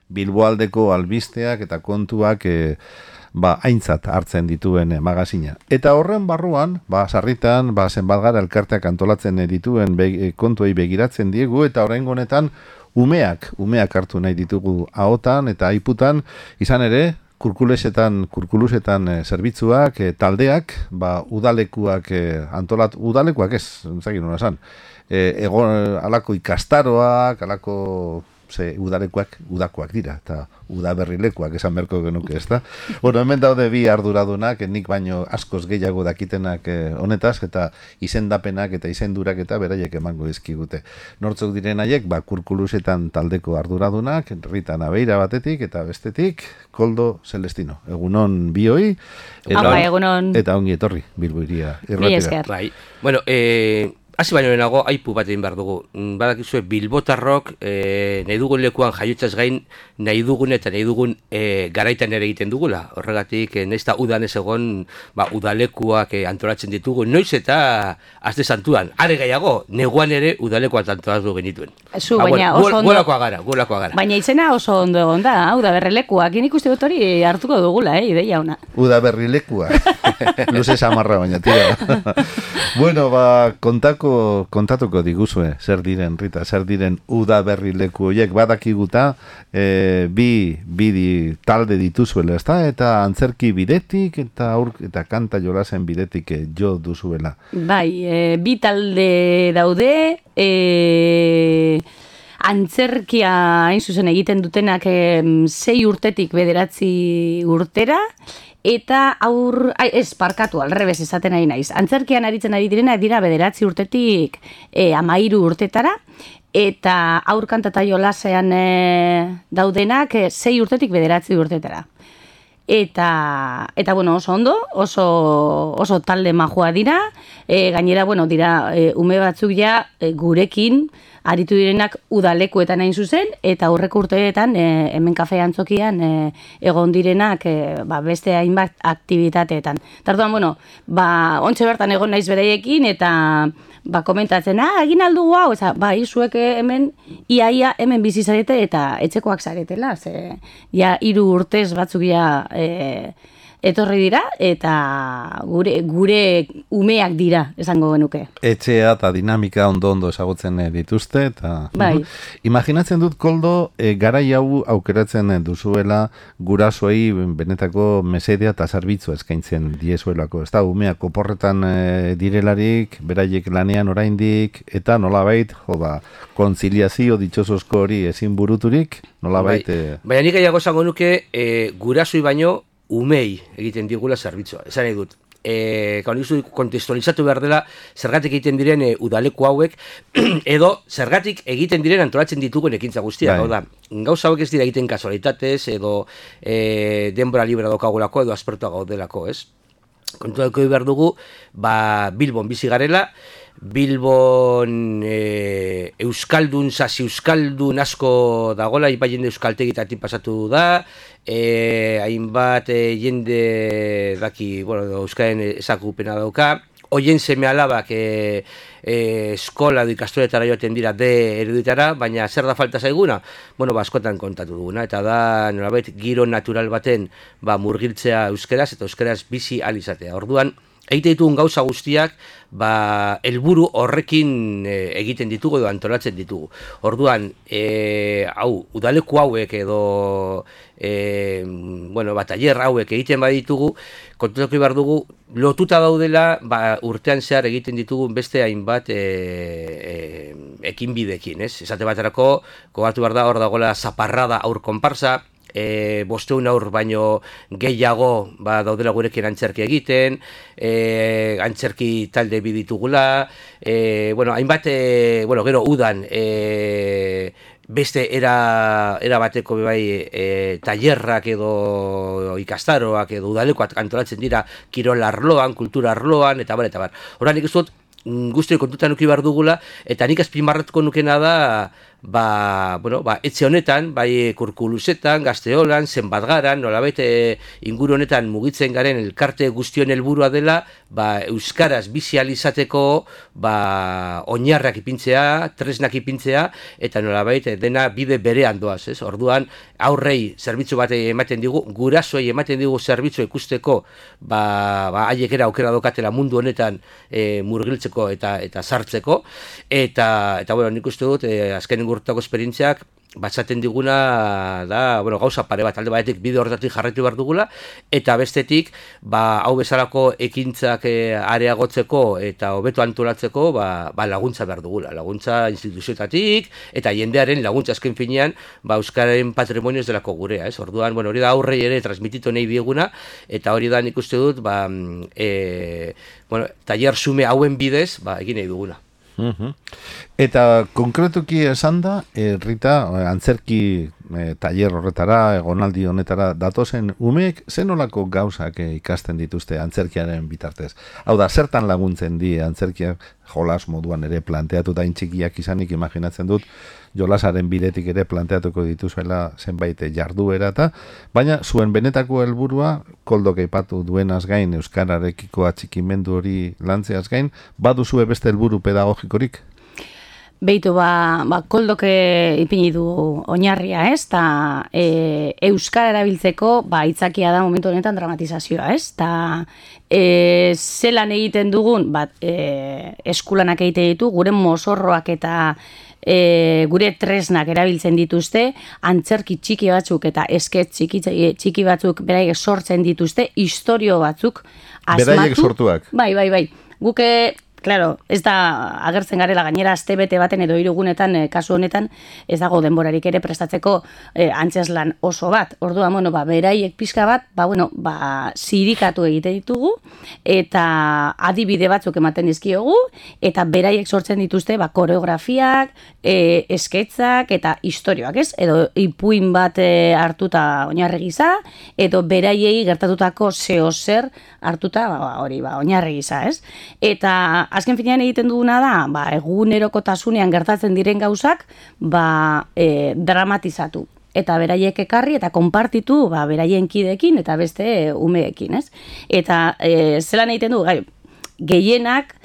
Bilboaldeko albisteak eta kontuak aintzat hartzen dituen magazina. Eta horren barruan, sarritan, zenbat gara elkarteak antolatzen dituen kontuei begiratzen diegu, eta oraingo honetan umeak hartu nahi ditugu ahotan eta aiputan, izan ere, kurkulusetan zerbitzuak, taldeak, udalekuak udalekuak ez, zagin hona esan, alako ikastaroak, alako udakoak dira, eta udaberrilekuak esan berko genuke, ez da? Bueno, hemen daude bi arduradunak, nik baino askoz gehiago dakitenak honetaz, eta izendapenak eta izendurak eta beraiek emango dizkigute. Nortzuk diren haiek, kurkulusetan taldeko arduradunak, Rita Nabeira batetik, eta bestetik, Koldo Celestino. Egunon bioi, eta ongi etorri, Bilbo Hiria irratira. Bai, bueno, hasi baino lehenago, aipu bat egin behar dugu. Badakizue, Bilbotarrok nahi dugun lekuan jaiotzaz gain, nahi dugun eta nahi dugun garaitan ere egiten dugula. Horregatik, nahiz eta udan ez egon, udalekuak antolatzen ditugu. Noiz eta azte santuan, are gehiago, neguan ere udalekuak antolatu genituen. Baina oso ondo. Golakoa gara. Baina izena oso ondo egon da, udaberrilekuak. Nik uste dut hori hartuko dugula, ideia ona. Udaberrilekuak. Luze samarra baina, tira. Bueno, kontatuko diguzue, zer diren, Rita, zer diren udaberrileku horiek, badakiguta, bi talde dituzuela, ez da? Eta antzerki bidetik, eta kanta jolasen bidetik jo duzuela. Bai, bi talde daude, antzerkia hain zuzen egiten dutenak 6 urtetik 9 urtera, eta parkatu, alrebez esaten ari naiz. Antzerkian aritzen ari direna dira 9 urtetik 13 urtetara, eta aurkanta eta jolasean daudenak 6 urtetik 9 urtetara. Eta bueno, oso ondo, oso talde majua dira, gainera, bueno, dira ume batzuk ja gurekin aritu direnak udalekuetan hain zuzen, eta aurreko urteetan hemen kafe antzokian egon direnak beste hainbat aktibitateetan. Tarduan, bueno, ontxe bertan egon naiz beraiekin, eta komentatzen, egin aldugu hau, zuek hemen, iaia hemen bizi zarete eta etxekoak zaretela, ja 3 urtez batzuk ja etorri dira, eta gure umeak dira, esango genuke. Etxea eta dinamika ondo ezagutzen dituzte, eta bai. Imaginatzen dut, Koldo, garai hau aukeratzen duzuela gurasoei benetako mesedea eta zerbitzu eskaintzen diezuelako, ez da, umeak oporretan direlarik, beraiek lanean oraindik, eta nolabait, kontziliazio ditxosozko hori ezin buruturik, nolabait... Baina nik gehiago esango nuke, gurasoi baino, umei egiten digula zerbitzua. Esan nahi dut, kontestualizatu behar dela zergatik egiten diren udaleku hauek, edo zergatik egiten diren antolatzen ditugun ekintza guztiak. Gauza hauek ez dira egiten kasualitatez, edo denbora libera daukagulako, edo aspertua gaudelako, ez? Kontuako behar dugu, Bilbon bizi garela, Bilbon sasi euskaldun asko dagola, hainbat jende euskaltegitatik pasatu da, hainbat jende daki, euskaren ezagupena dauka, hoien seme alabak eskola edo ikastoretara joaten dira ereditara, baina zer da falta zaiguna? Askotan kontatu duguna, eta da nolabait giro natural baten murgiltzea euskeraz, eta euskeraz bizi alizatea. Orduan, egite ditugun gauza guztiak, helburu horrekin egiten ditugu edo antolatzen ditugu. Orduan, udaleku hauek edo taller hauek egiten baditugu, kontutako behar dugu, lotuta daudela urtean zehar egiten ditugu beste hainbat ekinbidekin, ez? Esate baterako, gogatu behar da, hor dagoela zaparrada aur konparsa, 500 aur baino gehiago daudela gurekin antzerki egiten, antzerki talde biditugula, hainbat, gero udan, beste era bateko tailerrak edo ikastaroak edo udalekoak antolatzen dira kirol arloan, kultura arloan, eta bar. Horra nik ez dut, guztiak kontutan nuki behar dugula, eta nik azpimarratuko nukena da, etxe honetan, bai Kurkulusetan, Gazteolan, Zenbatgaran, nolabait inguru honetan mugitzen garen elkarte guztion helburua dela, euskaraz bizializateko oinarrak ipintzea, tresnak ipintzea, eta nolabait dena bide berean doaz, ez? Orduan, aurrei zerbitzu bat ematen digu, gurasoei ematen digu zerbitzu ikusteko, haiek aukera dokatela mundu honetan murgiltzeko eta sartzeko, eta nik uste dut, azkenen gurtako esperientziak, batzaten diguna da, gauza pare bat, alde batetik bide horretatik jarraitu behar dugula, eta bestetik, hau bezalako ekintzak areagotzeko eta hobeto antolatzeko, laguntza behar dugula, laguntza instituzioetatik, eta jendearen laguntza azken finean, euskararen patrimonio ez delako gurea, ez? Orduan, hori da aurrei ere transmititu nahi dieguna, eta hori da nik uste dut, taller sume hauen bidez, egin nahi duguna. Eta konkretuki esan da, Rita, antzerki taller horretara, egonaldi honetara datozen umeek zenolako gauzak ikasten dituzte antzerkiaren bitartez. Hau da, zertan laguntzen di antzerkiak jolas moduan ere planteatu da txikiak izanik imaginatzen dut, jolasaren bidetik ere planteatuko dituzuela zenbait jarduera eta, baina zuen benetako helburua Koldok aipatu duenaz gain, euskararekiko atxikimendu hori lantzeaz gain, baduzue beste helburu pedagogikorik? Beitu, Koldok ipini du oinarria, ez? Ta euskara erabiltzeko, itzakia da momentu honetan dramatizazioa, ez? Ta zelan egiten dugun, eskulanak egiten ditu, gure mozorroak eta gure tresnak erabiltzen dituzte, antzerki txiki batzuk eta esket txiki batzuk beraiek sortzen dituzte, istorio batzuk asmatu. Beraiek sortuak. Bai. Guke, claro, ez da agertzen garela gainera astebete baten edo 3 egunetan, kasu honetan, ez dago denborarik ere prestatzeko antzeslan oso bat. Orduan, beraiek pixka bat, zirikatu egite ditugu, eta adibide batzuk ematen dizkiogu, eta beraiek sortzen dituzte, koreografiak, esketzak, eta istorioak, ez? Edo ipuin bat hartuta oinarri gisa, edo beraiei gertatutako zeozer hartuta, oinarri gisa, ez? Eta azken finean egiten duguna da, egunerokotasunean gertatzen diren gauzak, dramatizatu. Eta beraiek ekarri eta konpartitu beraien kideekin eta beste umeekin, ez? Eta zelan egiten du, gehienak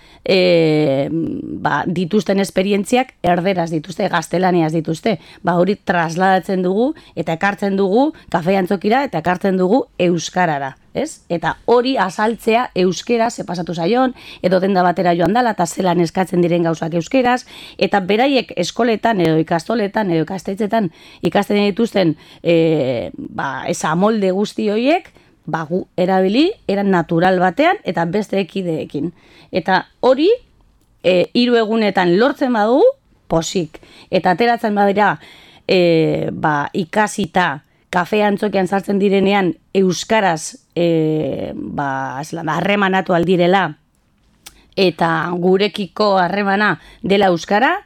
dituzten esperientziak erderaz dituzte, gaztelaniaz dituzte. Hori trasladatzen dugu eta ekartzen dugu kafe antzokira eta ekartzen dugu euskarara. Ez? Eta hori azaltzea euskeraz pasatu zaion, edo denda batera joan dela, eta zelan eskatzen diren gauzak euskeraz, eta beraiek eskoletan, edo ikastoletan, edo ikastetxetan ikasten dituzten amolde guzti horiek, gu erabili, eran natural batean, eta beste ekideekin. Eta hori, 3 egunetan lortzen badu, posik. Eta ateratzen badira, ikasita, kafe antzokian sartzen direnean euskaraz harremanatu aldirela eta gurekiko harremana dela euskara,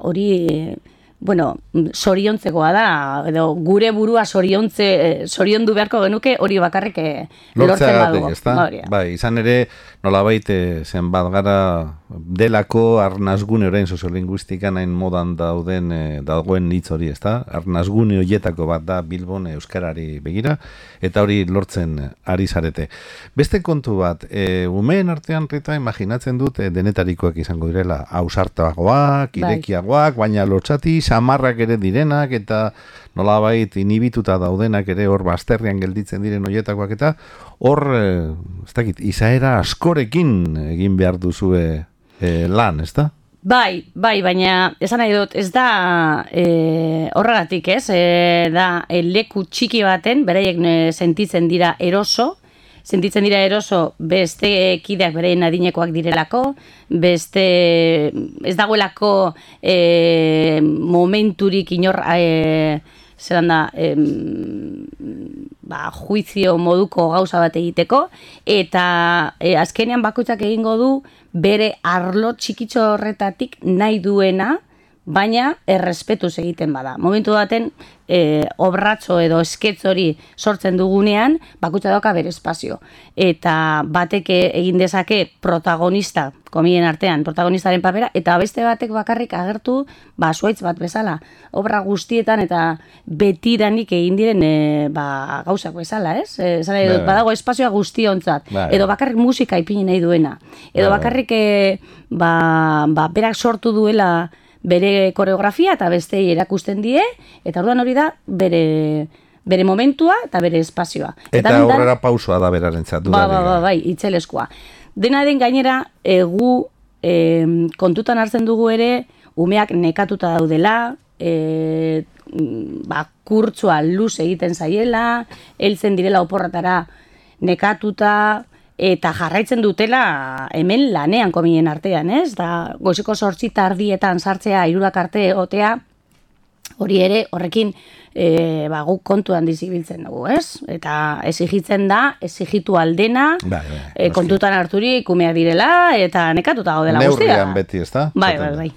hori zoriontzekoa da, edo gure burua zoriondu beharko genuke hori bakarrik lortzen badugu. Izan ere, nolabait zenbat gara delako arnazgune orain soziolinguistikan hain modan dagoen hitz hori, ezta? Arnazgune horietako bat da Bilbon euskarari begira, eta hori lortzen ari zarete. Beste kontu bat, umeen artean, Rita, imaginatzen dut denetarikoak izango direla, ausartagoak, irekiagoak, baina lotsati, samarrak ere direnak, eta nolabait inhibituta daudenak ere hor bazterrean gelditzen diren horietakoak, eta hor, ez dakit, izaera askorekin egin behar duzue lan, ez da? Bai, baina esan nahi dut, ez da horregatik, ez? Da leku txiki baten, beraiek sentitzen dira eroso, beste kideak beraien adinekoak direlako, beste ez dagoelako momenturik inor zelan da juizio moduko gauza bat egiteko, eta azkenean bakoitzak egingo du bere arlo txikitxo horretatik nahi duena baina errespetuz egiten bada. Momentu baten obratxo edo esketz hori sortzen dugunean, bakutsa dauka bere espazio. Eta batek egin dezake protagonista, komien artean, protagonistaren papera, eta beste batek bakarrik agertu, zuaitz bat bezala. Obra guztietan eta betidanik egin diren gauzak bezala, ez? Badago espazioa guztiontzat. Edo bakarrik musika ipini nahi duena. Edo bakarrik berak sortu duela bere koreografia eta bestei erakusten die, eta orduan hori da bere momentua eta bere espazioa. Eta horrela pausua da berarentzat. Bai, itzeleskoa. Dena den gainera, gu kontutan hartzen dugu ere, umeak nekatuta daudela, kurtsua luz egiten zaiela, heltzen direla oporratara nekatuta, eta jarraitzen dutela hemen lanean komien artean, ez? Da, goizeko 8 tardietan sartzea, 3 arte otea, hori ere, horrekin guk kontuan dizibiltzen dugu, ez? Eta exigitzen da, exigitu aldena, kontutan harturik umeak direla, eta nekatuta gaudela guztia. Neurrian beti, ez da? Bai.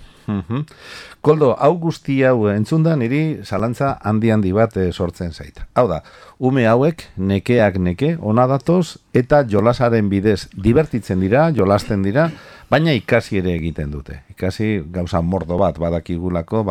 Koldo, hau guzti hau entzunda niri zalantza handi bat sortzen zait. Hau da, ume hauek nekeak neke, ona datoz, eta jolasaren bidez divertitzen dira, jolasten dira, baina ikasi ere egiten dute. Ikasi gauza mordo bat badakigulako,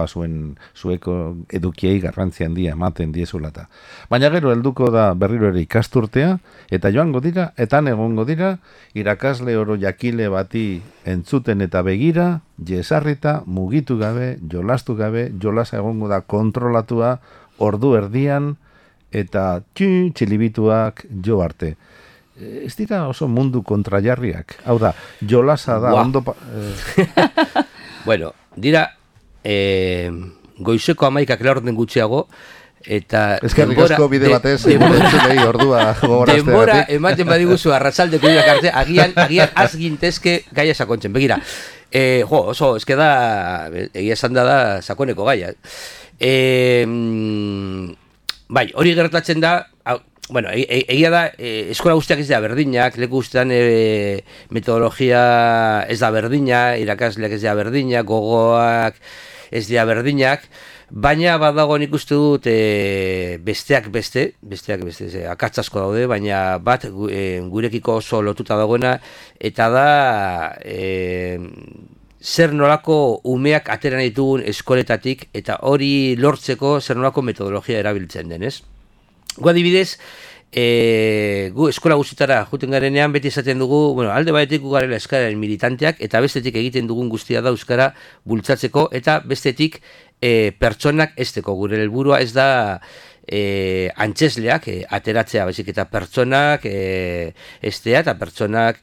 zueko edukiei garrantzi handia ematen diezulata. Baina gero helduko da berriro ere ikasturtea, eta joango dira, eta egongo dira, irakasle oro jakile bati entzuten eta begira, jesarrita, mugitu gabe, jolastu gabe, jolasa egongo da kontrolatua, ordu erdian, eta txilibituak jo arte. Ez dira oso mundu kontrajarriak. Hau da, jolasa da ondo... Bueno, dira, goizeko 11 laurden gutxiago, eta... Eskerrik asko bide batez, ordua gogorazte denbora ematen badiguzu arratsaldeko irak arte, agian azgintezke gaia sakontzen. Begira, oso, eske da, egia esan da sakoneko gaia. Bai, hori gertatzen da, bueno, egia da, eskola guztiak ez da berdinak, leku guztian metodologia ez da berdina, irakasleak ez da berdinak, gogoak ez da berdinak, baina badago nik uste dut besteak beste, akats asko daude, baina bat gurekiko oso lotuta dagoena, eta da zer nolako umeak ateran ditugun eskoletatik, eta hori lortzeko zer nolako metodologia erabiltzen denez. Gu adibidez, gu eskola guztitara juten garenean beti esaten dugu, bueno, alde batetik gu garela euskararen militanteak, eta bestetik egiten dugun guztia da euskara bultzatzeko, eta bestetik pertsonak esteko. Gure helburua ez da antzesleak ateratzea, baizik eta pertsonak estea, eta pertsonak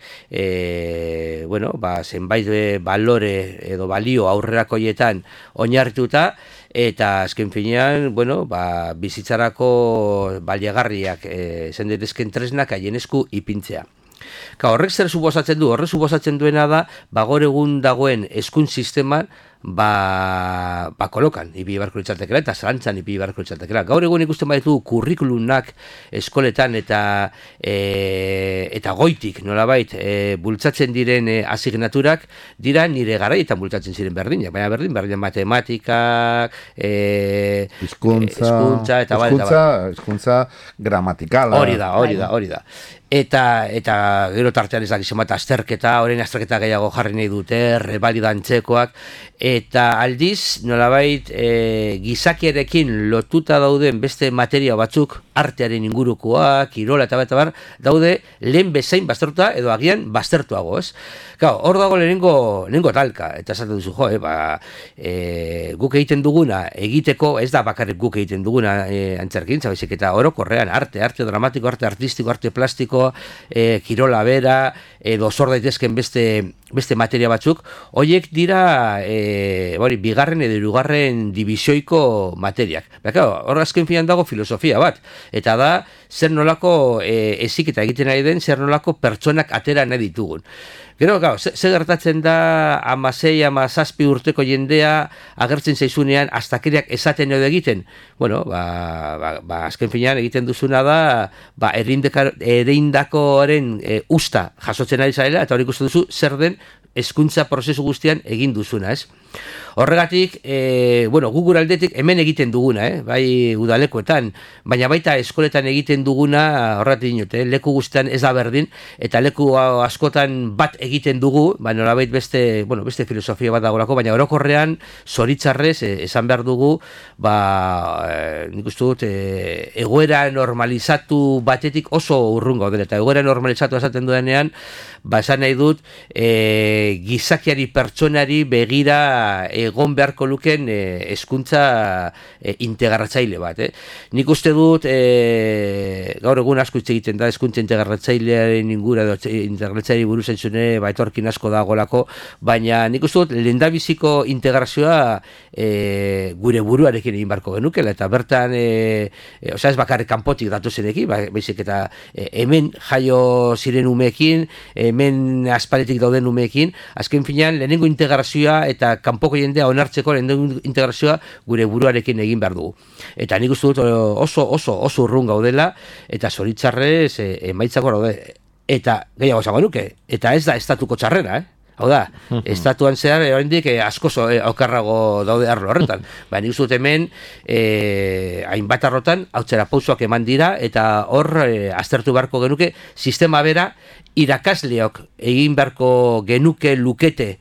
zenbait balore edo balio aurrerakoietan oinarrituta, eta azken finean, bizitzarako baliagarriak zenderezken tresnak haien esku ipintzea. Horrek zer suposatzen du? Horrek suposatzen duena da, gaur egun dagoen hezkuntza sisteman, kolokan ipini beharko litzatekeela eta zalantzan ipini beharko litzatekeela. Gaur egun ikusten baditu kurrikulumak eskoletan eta goitik nolabait bultzatzen diren asignaturak dira nire garaietan bultzatzen ziren berdinak, baina berdin matematikak, hizkuntza eta hizkuntza gramatikala. Hori da. Eta gero tartean ez dakizen bat azterketa, orain azterketa gehiago jarri nahi dute, rebalidantzekoak, eta aldiz, nolabait, gizakiarekin lotuta dauden beste materia batzuk, artearen ingurukoak, kirola eta bar, daude lehen bezain baztertuta edo agian baztertuago, ez? Hor dago lehenengo talka, eta esaten duzu, guk egiten duguna, egiteko, ez da bakarrik guk egiten duguna antzerkintza, baizik eta orokorrean, arte dramatiko, arte artistiko, arte plastiko, kirola bera, edo zor daitezken beste materia batzuk, horiek dira bigarren edo hirugarren divisioiko materiak. Hor azken finan dago filosofia bat, eta da zer nolako heziketa egiten ari den, zer nolako pertsonak atera nahi ditugun. Gero, ze gertatzen da 16, 17 urteko jendea agertzen zaizunean astakeriak esaten edo egiten? Bueno, azken finean egiten duzuna da ereindakoaren usta jasotzen ari zarela, eta hori ikusten duzu zer den hezkuntza prozesu guztian egin duzuna, ez? Horregatik, gu gure aldetik hemen egiten duguna, bai udalekoetan, baina baita eskoletan egiten duguna, horregatik dinote, leku guztian ez da berdin, eta leku askotan bat egiten dugu, nolabait beste filosofia bat dagolako, baina orokorrean, zoritzarrez, esan behar dugu, nik uste dut, egoera normalizatu batetik oso urrun gaudela, eta egoera normalizatu esaten duenean, esan nahi dut, gizakiari pertsonari begira egon beharko luken hezkuntza integratzaile bat. Nik uste dut, gaur egun asko hitz egiten da, hezkuntza integratzailearen ingura, integratzaileari buruz entzune, etorkin asko dagolako, baina nik uste dut, lehendabiziko integrazioa gure buruarekin egin beharko genukela, eta bertan, ez bakarrik kanpotik datu zenekin, baizik eta hemen jaio ziren umeekin, hemen aspaletik dauden umeekin, azken finean, lehenengo integrazioa eta kanpoko jendea onartzeko lehenengo integrazioa gure buruarekin egin behar dugu. Eta nik uste dut oso urrun gaudela, eta zoritzarrez emaitzako daude. Eta gehiago esango nuke, eta ez da estatuko txarrera, Hau da, estatuan zehar, oraindik asko okerrago daude arlo horretan. Nik uste dut hemen, hainbat arrotan, hautzera pausoak eman dira, eta hor, aztertu beharko genuke, sistema bera, irakasleok egin beharko genuke lukete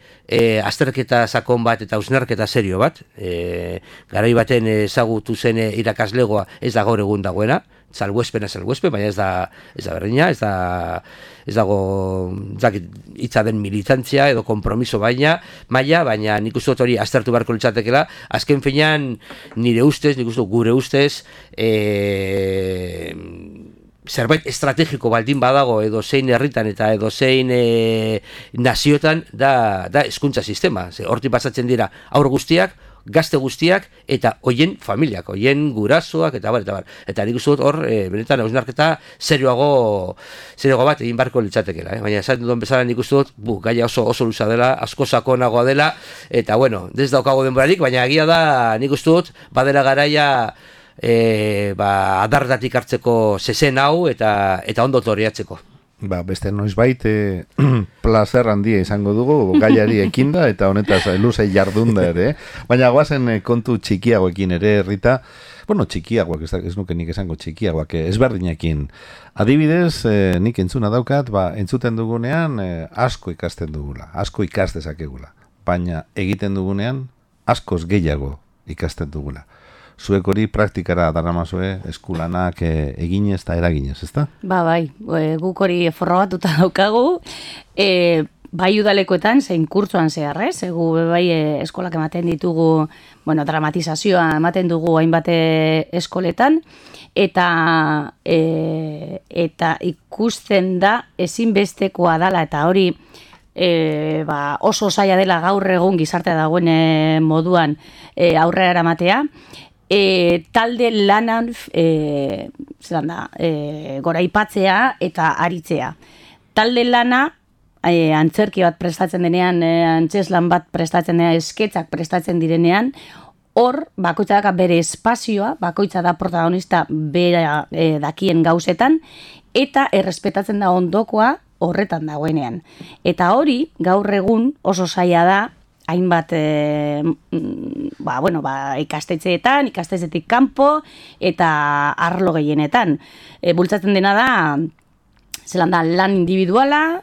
azterketa sakon bat eta hausnarketa serio bat. Garai baten ezagutu zen irakaslegoa ez da gaur egun dagoena, salbuespen, baina ez da berdina, ez dago hitza den militantzia edo kompromiso baina nik uste dut hori aztertu beharko litzatekela, azken finean nire ustez, nik uste dut gure ustez, zerbait estrategiko baldin badago edo zein herritan eta edo zein naziotan da hezkuntza sistema. Hortik pasatzen dira haur guztiak, gazte guztiak eta hoien familiak, hoien gurasoak eta bar. Eta nik uste dut hor, benetan hausnarketa serioago bat egin beharko litzatekeela. Baina esan duen bezala nik uste dut, gaia oso luza dela, asko sakonagoa dela, eta ez daukago denborarik, baina egia da nik uste dut, badela garaia adardatik hartzeko zezen hau eta ondo toriatzeko. Beste noizbait plazer handia izango dugu gaiari ekinda eta honetaz luzei jardunda ere. Baina goazen kontu txikiagoekin ere, Rita. Txikiagoak, ez nuke nik esango txikiagoak, ezberdinekin. Adibidez, nik entzuna daukat, entzuten dugunean asko ikasten dugula, asko ikas dezakegula. Baina egiten dugunean askoz gehiago ikasten dugula. Zuek hori praktikara daramazue eskulanak eginez eta eraginez, ezta? Bai, guk hori forrobatuta daukagu, bai udalekoetan, zein kurtzoan zeharrez, gu bai eskolak ematen ditugu, dramatizazioa ematen dugu hainbat eskoletan, eta ikusten da ezinbestekoa dela, eta hori oso zaila dela gaur egun gizartea dagoen moduan aurrera eramatea, talde lanan goraipatzea eta aritzea. Talde lana antzerki bat prestatzen denean, antzeslan bat prestatzen denean, esketzak prestatzen direnean, hor bakoitza da bere espazioa, bakoitza da protagonista bera dakien gauzetan, eta errespetatzen da ondokoa horretan dagoenean. Eta hori, gaur egun oso zaila da, hainbat ikastetxeetan, ikastetxetik kanpo eta arlo gehienetan. Bultzatzen dena da, lan individuala,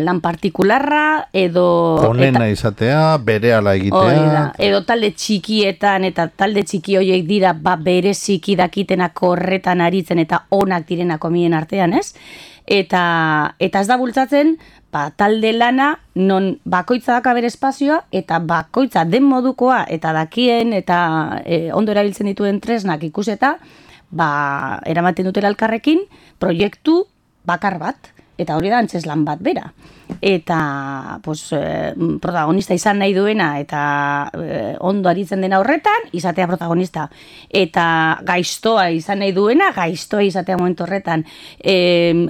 lan partikularra, edo... Honena izatea, berehala egitea... Edo talde txikietan, eta talde txiki horiek dira, bereziki dakitenak horretan aritzen eta onak direnako mien artean, ez? Eta ez da bultzatzen, talde lana, non bakoitza daka bere espazioa, eta bakoitza den modukoa, eta dakien, eta ondo erabiltzen dituen tresnak ikuseta, eramaten dutela elkarrekin, proiektu bakar bat, eta hori da antzeslan bat bera. Eta protagonista izan nahi duena, eta ondo aritzen dena horretan, izatea protagonista. Eta gaiztoa izan nahi duena, gaiztoa izatea momentu horretan.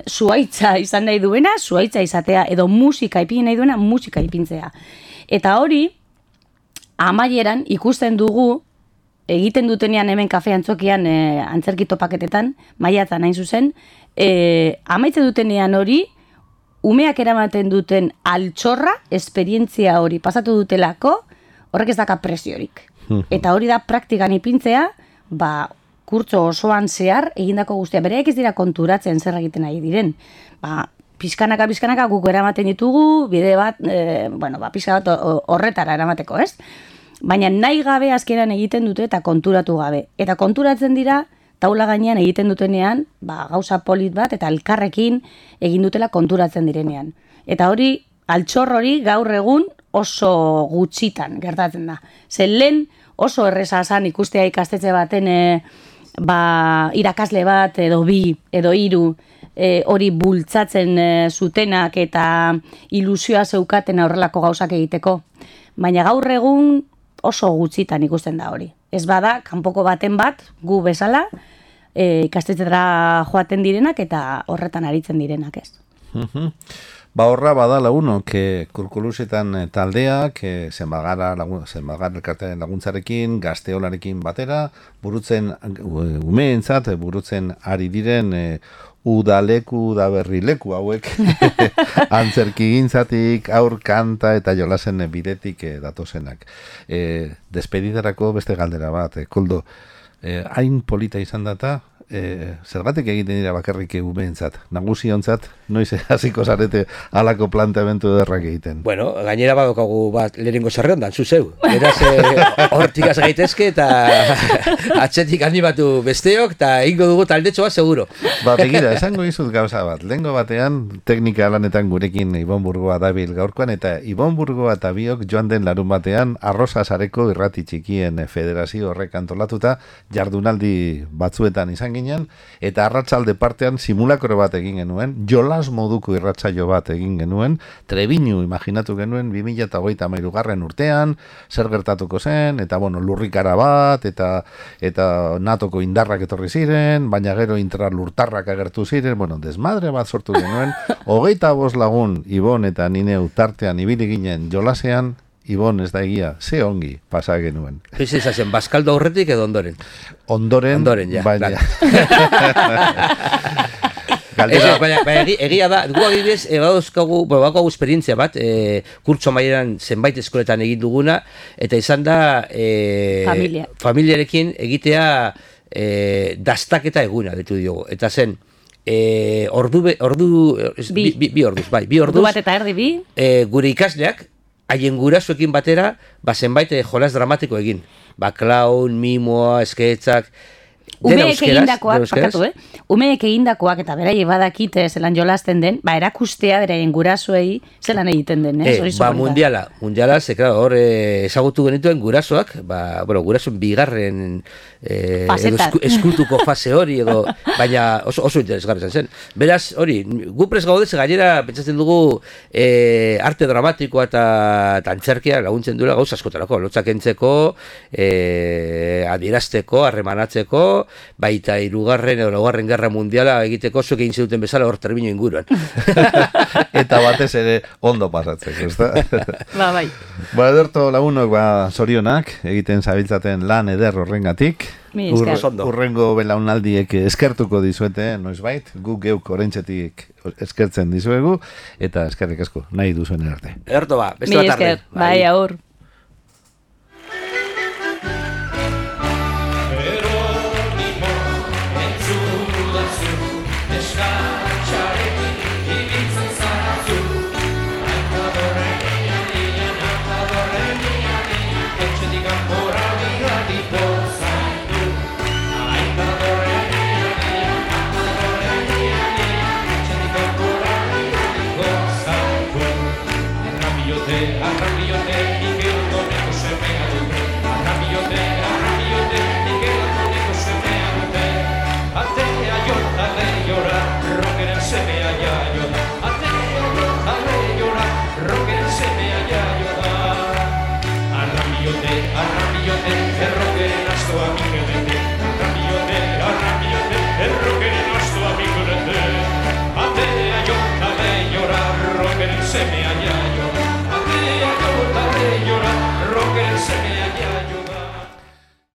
Zuaitza izan nahi duena, zuaitza izatea, edo musika ipin nahi duena, musika ipintzea. Eta hori, amaieran ikusten dugu, egiten dutenean hemen kafe antzokian antzerki topaketetan, maiatzan hain zuzen, amaitzen dutenean hori, umeak eramaten duten altxorra, esperientzia hori pasatu dutelako, horrek ez daka preziorik. Eta hori da praktikan ipintzea, kurtso osoan zehar egindako guztia. Bereak ez dira konturatzen zer egiten ari diren. Pizkanaka guk eramaten ditugu, bide bat, pizka bat horretara eramateko, ez? Baina nahi gabe azkenan egiten dute eta konturatu gabe. Eta konturatzen dira, taula gainean egiten dutenean, gauza polit bat eta elkarrekin egin dutela konturatzen direnean. Eta hori, altxor hori gaur egun oso gutxitan gertatzen da. Zen lehen oso erreza zan ikustea ikastetxe baten irakasle bat edo bi edo hiru hori bultzatzen zutenak eta ilusioa zeukaten horrelako gauzak egiteko. Baina gaur egun oso gutxitan ikusten da hori. Ez bada, kanpoko baten bat, gu bezala, ikastetxera joaten direnak eta horretan aritzen direnak, ez. Horra badala uno, kurkulusetan taldeak, zenbagar elkartearen laguntzarekin, gazteolarekin batera, umeentzat, burutzen ari diren udaleku, udaberrileku hauek, antzerki gintzatik, aur kanta eta jolasen bidetik datozenak. Despedidarako beste galdera bat, Koldo, hain polita izan data, zergatik egiten dira bakarrik umeentzat, nagusiontzat, noiz hasiko zarete halako planteamendu derrak egiten. Bueno, gainera badokagu bat lehenengo zerrendan, zuzeu. Beraz, hortik az gaitezke eta atzetik animatu besteok eta ingo dugu taldetxo bat seguro. Begira, esango izut gauza bat. Lehengo batean, teknika lanetan gurekin Ibon Burgoa dabil gaurkoan, eta Ibon Burgoa eta biok joan den larun batean Arrosa Sareko irrati txikien federazio horrek antolatuta jardunaldi batzuetan izan ginen, eta arratsalde partean simulakro bat egin genuen, jolas moduko irratsaio bat egin genuen, Trebiñu imaginatu genuen 2023 urtean, zer gertatuko zen, eta lurrikara bat, eta natoko indarrak etorri ziren, baina gero intralurtarrak agertu ziren, desmadre bat sortu genuen, 25 lagun Ibon eta Nineu tartean ibili ginen jolasean, Ibon, ez da egia, ze ongi pasa genuen. Fiz ezazen, Baskaldo aurretik edo ondoren? Ondoren, ja. Baina egia da, gu agibidez, badauzkagu esperientzia bat, kurtso maieran zenbait eskoletan egin duguna, eta izan da familiarekin egitea dastaketa eguna, ditu diogu. Eta zen, bi orduz, ordu bat eta erdi bi, gure ikasleak, haien gurasoekin batera, zenbait jolas dramatiko egin. Klaun, mimoa, esketzak, umeek egindakoak, umeek egindakoak eta beraie badakite zelan jolasten den, erakustea beraien gurasoei zelan egiten den, mundiala, ze, hor ezagutu genituen gurasoak, gurasoen bigarren eskutuko fase hori, baina oso interesgarri zen. Beraz, hori, gu prest gaudez, gainera, pentsatzen dugu arte dramatikoa eta antzerkia laguntzen duela gauz askotarako, lotzak entzeko, adierazteko, harremanatzeko, baita 3. edo 4. Gerra Mundiala egiteko zuek egin ziduten bezala hor Trebiñu inguruan. Eta batez ere ondo pasatzeko, ezta? Bai. Ederto lagunok, zorionak, egiten zabiltzaten lan eder horrengatik. Urrengo belaunaldiek eskertuko dizuete, noizbait, guk geuk orentxetik eskertzen dizuegu, eta eskerrik asko, nahi duzuen arte. Ederto beste bat tarde. Bai, aur. Atea jorta lehiora, rockeren semea ja.